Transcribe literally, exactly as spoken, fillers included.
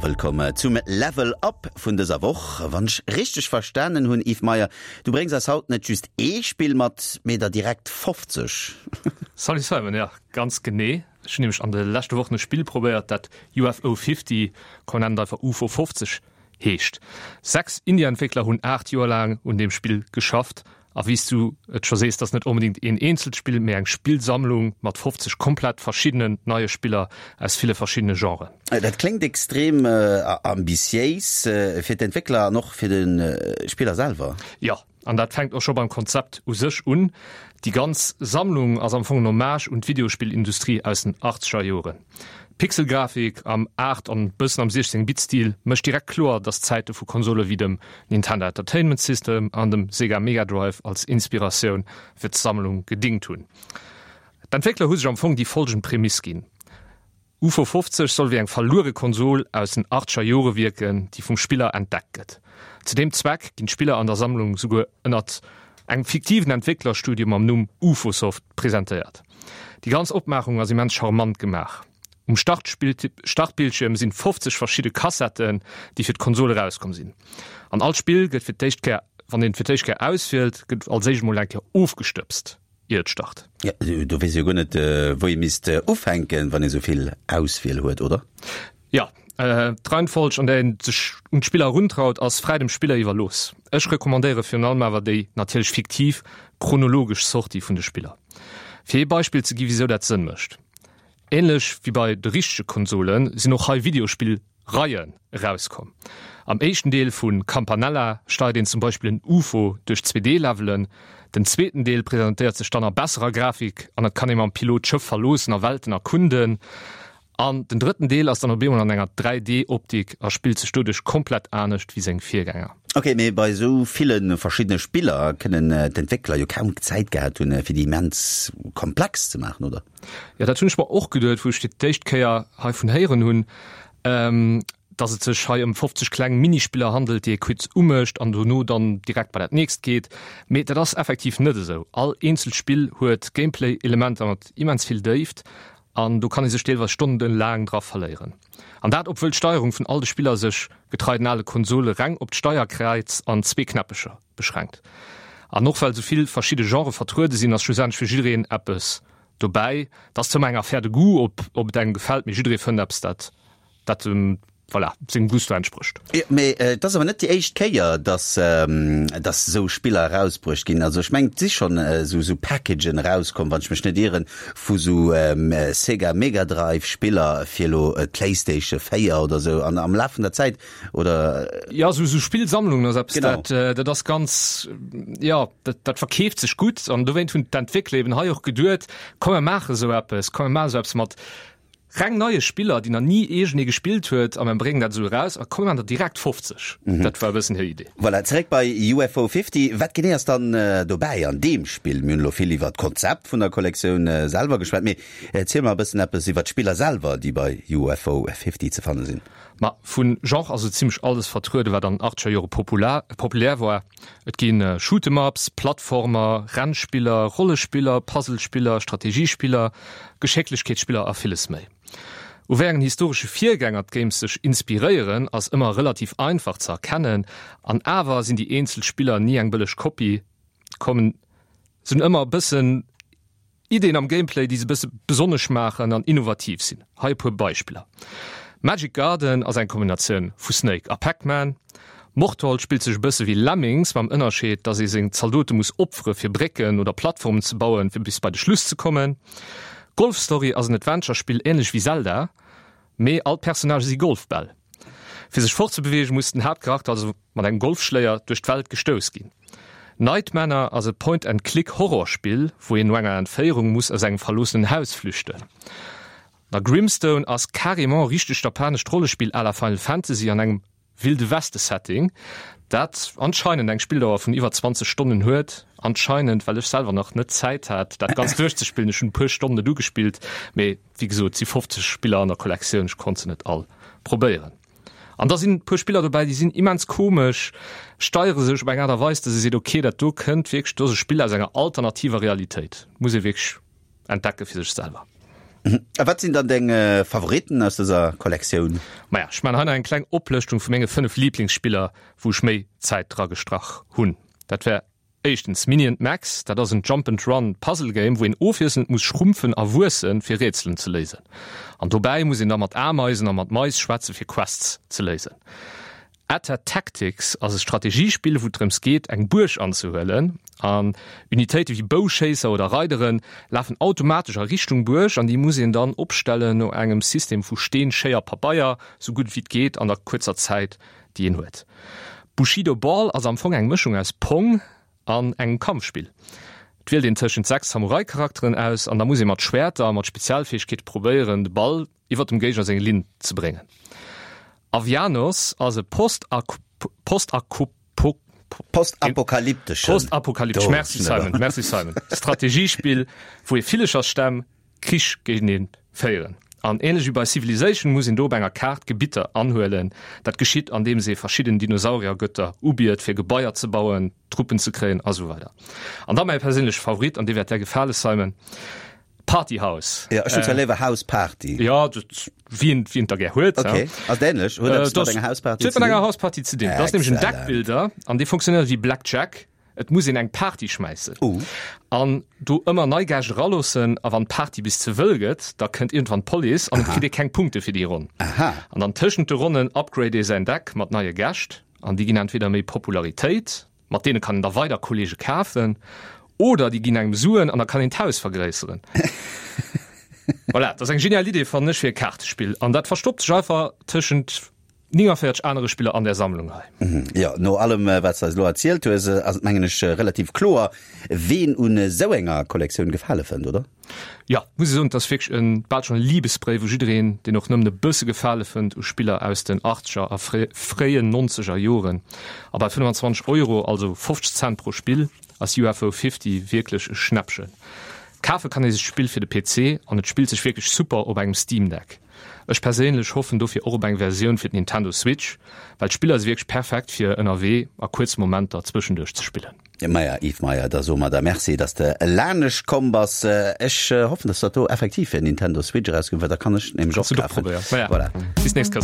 wëllkomm zum Level Up vun dëser Woch. Wann ech richteg verstanen hunn, Yves Meyer, du bréngs eis haut net just ee Spill mat, mee der direkt fofzeg. Salut Simon, ja ganz genee. Ech hunn nämlech an de leschte Wochen e Spill probéiert, dat U F O fifty, komm nennen et einfach UFO fofzeg, heescht. Sechs Indie-Entwéckler hunn aacht Joer laang un deem Spill geschafft. A wéi s du et scho sees, dat ass net onbedéngt een eenzelt Spill, mee eng Spillsammlung mat fofzeg komplett verschiddenen neie Spiller aus ville verschiddene Genren. Dat kléngt extrem ambitiéis fir d'Entwéckler an och fir de Spiller selwer. Jo, an dat fänkt och scho beim Konzept u sech un. Déi ganz Sammlung ass am Fong en Hommage un d'Videospillindustrie aus den achtzeger Joren. D'Pixelgrafik am aacht an bëssen am siechzéng Bit Stil mécht direkt kloer, dass d'Zäite vu Konsole wéi dem Nintendo Entertainment System an dem Sega Mega Drive als Inspiratioun fir d'Sammlung gedingt hunn. D'Entwéckler hu sech am Fong déi follgend Prämiss ginn, UFO fofzeg soll wéi eng verluere Konsol aus den achtzeger Jore wierken, déi vum Spiller entdeckt gëtt. Zu deem Zweck ginn d'Spiller an der Sammlung souguer ënnert engem fiktiven Entwécklerstudio mam Numm UFOsoft presentéiert. Déi ganz Opmaachung ass immens charmant gemaach. Um Startbildschierm sinn fofzeg verschidde Kassetten, déi fir d'Konsol erauskomm sinn. An all Spill gëtt fir d'éischt Kéier, wann een et fir d'éischt Kéier auswielt, gëtt als éischt mol eng Kéier ofgestëbst, ier et start. Jo, do weess ee jo guer net, wou ee misst ufänken, wann ee sou vill Auswiel huet, oder? Jo, d'Reihenfolg, an där een sech un d'Spiller eruntraut, ass fräi dem Spiller iwwerlooss. Ech recommandéiere virun allem awer déi natierlech fiktiv chronologesch Sortie vun de Spiller. Fir ee Beispill ze gi wisou dat Sënn mécht. Ähnlech wéi bei de richtege Konsolen sinn och hei Videospill-Reien erauskomm. Am éischten Deel vu Campanella steiert een zum Beispill en UFO duerch Zwee D-Levelen. Den zweeten Deel presentéiert sech dann a besserer Grafik an et kann ee mam Pilot d'Schëff verloossen a Welten erkunden. An den drëtten Deel ass dann op eemol an enger dräi D Optik a spillt sech doduerch komplett anescht wéi seng Virgänger. Ok, mee bei esou ville verschiddene Spiller kënnen d'Entwéckler jo kaum Zäit gehat hunn, fir déi immens komplex ze maachen, oder? Jo, dat hunn ech mer och geduet, wou ech fir d'éischt Kéier heivun héieren hunn, dass et sech hei ëm fofzeg kleng Minispiller handelt, déi ee kuerz umécht an dono dann direkt bei dat nächst geet. Mee dat ass effektiv net esou. All eenzelt Spill huet Gameplay-Elementer mat immens vill Déift an do kann ee sech deelweis stonnenlaang dra verléieren. An dat obwuel d'Steierung vun all de Spiller sech, getrei den ale Konsole, reng op d'Steierkräiz an zwee Knäppecher beschränkt. An och well sou vill verschidde Genrë vertruede sinn, ass schlussendlech fir jiddereen eppes dobäi. Et ass zwar ëmmer eng Affaire de goût, ob ob et engem gefält, mee jidderee fënnt eppes, dat dat em, voilà, sengem Gusto entsprécht. Jo, mee et ass awer net déi éischt Kéier, dass dass esou Spiller erausbruecht ginn. Also ech mengen, et si schonn esou esou Packagen erauskomm, wann ech mech net ieren, vu sou Sega Mega Drive Spiller fir elo d'Playstation véier oder esou an am Laf vun der Zäit, oder? Jo, esou esou Spillsammlungen ass eppes, dat dat ass ganz, jo, dat dat verkeeft sech gutt an dowéint hunn d'Entwéckler eben hei och geduet, komm mer maache sou eppes, komm mer maache sou eppes mat reng neie Spiller, déi nach ni iergendee gespillt huet, a mer bréngen dat esou eraus a kommen der direkt fofzeg. Dat war e bëssen hir Idee. Voilà, zeréck bei U F O fifty. Wat genee ass dann dobäi an deem Spill? Mir hunn elo vill iwwer d'Konzept vun der Kollektioun selwer geschwat, mee erziel mer e bëssen eppes iwwer d'Spiller selwer, déi bei U F O fifty ze fanne sinn. Ma vu Genre ass esou zimmlech alles vertrueden, wat an den achtzeger Jore populär war. Et gi Shoot-'em-ups, Plattformer, Rennspiller, Rollespiller, Puzzlespiller, Strategiespiller, Geschécklechkeetsspiller a villes méi. U wéi engen historesche Virgänger d'Games sech inspiréieren, ass ëmmer relativ einfach ze erkennen, an awer sinn déi eenzel Spiller ni eng bëlleg Kopie, kommen sinn ëmmer e bëssen Ideen am Gameplay, déi se e bësse besonnesch maachen an innovativ sinn. Hei e puer Beispiller, Magic Garden ass eng Kombinatioun vu Snake a Pac-Man. Mortal spillt sech e bësse wéi Lemmings, mam Ënnerscheed, dass ee seng Zaldote muss opfere fir Brécken oder Plattformen ze bauen, fir bis bei de Schluss ze kommen. Golf Story ass en Adventure-Spill änlech wéi Zelda, mee all d'Personnagë si Golfbäll. Fir sech fortzebeweegen, muss den Haaptcharakter also mat engem Golfschléier duerch d'Welt gestouss ginn. Night Manor ass e Point-and-Click-Horrorspill, wou een no enger Entféierung muss aus engem verloossenen Haus flüchten. A Grimstone ass carrément e richtegt japanescht Rollespill à la Final Fantasy an engem Wilde Weste Setting, dat anscheinend eng Spilldauer vun iwwer zwanzeg Stonnen huet. Anscheinend, well ech selwer nach net Zäit hat, dat Ganzt duerchzespillen. Ech hunn e puer Stonnen et ugespillt, mee wéi gesot, et si fofzeg Spiller an der Kollektioun, ech konnt se net all probéieren. An da sinn e puer Spiller dobäi, déi sinn immens komesch, steiere sech op eng Aart a Weis, dass ee seet, ok, dat do kënnt wierklech, do ass e Spill aus enger alternativer Realitéit, muss ee wierklech entdecke fir sech selwer. A wat sinn dann deng Favoritten aus dëser Kollektioun? Maja, ech man hei nach eng kleng Oplëschtung vu menge fënnef Liblingsspiller, wou ech méi Zäit dra gestrach hunn. Dat wär éischtens Mini and Max, dat ass en Jump and Run Puzzle Game, wou een ofwiesselnd muss schrumpfen a wuessen, fir Rätselen ze léisen. An dobäi muss een da mat Ameisen a mat Mais schwätze fir Quests ze léisen. Atta Tactics ass e Strategiespill, wou et drëms geet, eng Buerg anzehuelen. An Unitéite wéi Bouschéisser oder Reidere lafen automatesch a Richtung Buerg an déi muss een dann opstellen no engem System vu Steen, Schéier, Pabeier, sou gutt wéi et geet an der kuerzer Zäit, déi een huet. Bushido Ball ass am Fong eng Mëschung aus Pong an engem Kampfspill. Et wielt een tëschent sechs Samurai-Charakteren aus an da muss ee mat Schwäerter a mat Spezialfäegkeete probéieren, de Ball iwwer dem Géigner seng Linn ze bréngen. Avianos ass e Postapokalypteschen, Postapokalyptesch, merci Simon, merci Simon, Strategiespill, wou ee Villechersstämm Krich géintenee féieren. An ähnlech wéi bei Civilization muss een do op enger Kaart Gebitter anhuelen. Dat geschitt andeems ee verschidden Dinosauriergötter ubiet fir Gebaier ze bauen, Truppen ze kréien a sou weider. An da mäi perséinleche Favorit, an dee wäert där gefale Simon, Party House. Jo, ech hunn zwar léiwer House Party. Jo, dat, wien, wien et da gär huet. Ok, ass et ähnlech? Huet eppes mat enger House Party ze dinn? Huet mat enger House Party ze dinn. Dat ass nämlech en Deckbuilder an dee funktionéiert wéi Blackjack. Et muss een eng Party schmäissen an do ëmmer nei Gäscht eraloossen. A wann d'Party bis ze wëll gëtt, da kënnt iergendwann d'Police an et kritt ee keng Punkte fir déi Ronn. An dann tëschent de Ronnen upgrade ee säin Deck mat neie Gäscht an déi ginn entweder méi Popularitéit, mat deene kann een da weider Kolleege kafen, oder déi ginn engem Suen an da kann een d'Haus vergréisseren. Voilà, dat ass eng genial Idee, fannen ech, fir e Kaartespill. An dat verstoppt sech einfach tëschent nénganvéierzeg anere Spiller an där Sammlung hei. Jo, no allem wat s de eis elo erzielt hues, ass et mengen ech relativ kloer, ween un esou enger Kollektioun Gefale fënnt, oder? Jo, muss ech soen, et ass wierklech e bal schonn e Libesbréif u jiddereen, deen och nëmmen e bësse Gefale fënnt u Spiller aus den achtzeger a fréien nonzeger Joren. A bei fënnfanzwanzeg Euro, also fofzeg Cent pro Spill, ass U F O fifty wierklech e Schnäppchen. Kafe kann ee sech d'Spill fir de P C an et spillt sech wierklech super op engem Steam Deck. Ech perséinlech hoffen dofir och op eng Versioun fir d'Nintendo Switch, well d'Spiller si wierklech perfekt fir ënnerwee a kuerz Momenter zwëschenduerch ze spillen. Maja, Yves Meyer, da soe mer der Merci, dass de lanescht komm bass. Ech hoffen, dass dat do effektiv fir Nintendo Switch erauskënnt, well da kann ech et nämlech och kafen. Maja, Voilà. Bis nächst Kéier.